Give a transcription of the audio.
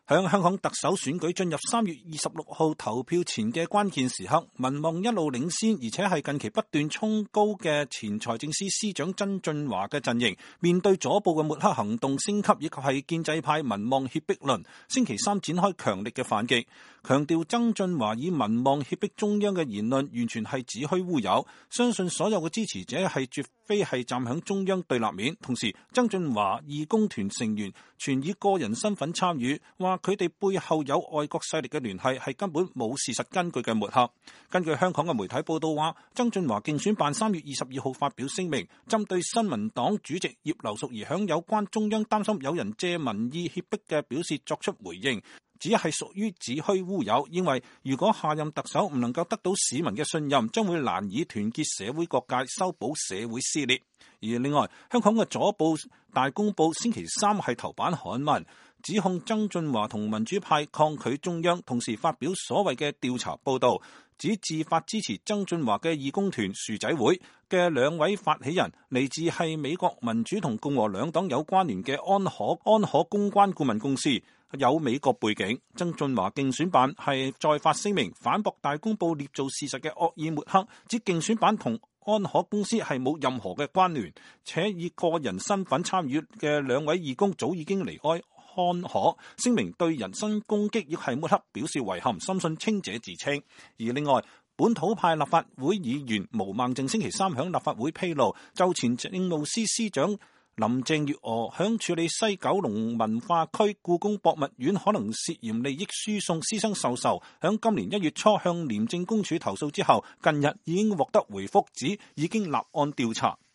響香港特首選舉進入3月26號投票前嘅關鍵時刻，民望一路領先，而且係近期不斷衝高嘅前財政司司長曾俊華嘅陣營，面對左部嘅抹黑行動升級，以及係建制派民望脅迫論，星期三展開強力嘅反擊，強調曾俊華以民望脅迫中央嘅言論完全係子虛烏有，相信所有嘅支持者係絕非係站響中央對立面。同時，曾俊華義工團成員全以個人身份參與，話佢哋背後有外國勢力嘅聯繫，係根本冇事實根據嘅抹黑。根據香港嘅媒體報道話，曾俊華競選辦3月22號發表聲明，針對新民黨主席葉劉淑儀響有關中央擔心有人借民意脅迫嘅表示作出回應，只係屬於子虛烏有，認為如果下任特首唔能夠得到市民嘅信任，將會難以團結社會各界，修補社會撕裂。而另外，香港嘅左報大公報星期三係頭版刊文，指控曾俊華同民主派抗拒中央，同時發表所謂嘅調查報導，指自發支持曾俊華嘅義工團薯仔會嘅2位發起人，嚟自係美國民主同共和兩黨有關聯嘅安可公關顧問公司，有美國背景。曾俊華競選辦係再發聲明反駁大公報捏造事實嘅惡意抹黑，指競選辦同安可公司係冇任何嘅關聯，且以個人身份參與嘅2位義工早已經離開安可，聲明對人身攻擊亦係抹黑表示遺憾，深信清者自清。而另外，本土派立法會議員毛孟靜星期三響立法會披露，就前政務司司長林鄭月娥響處理西九龍文化區故宮博物院可能涉嫌利益輸送私生授受，響今年1月初向廉政公署投訴之後，近日已經獲得回覆，指已經立案調查。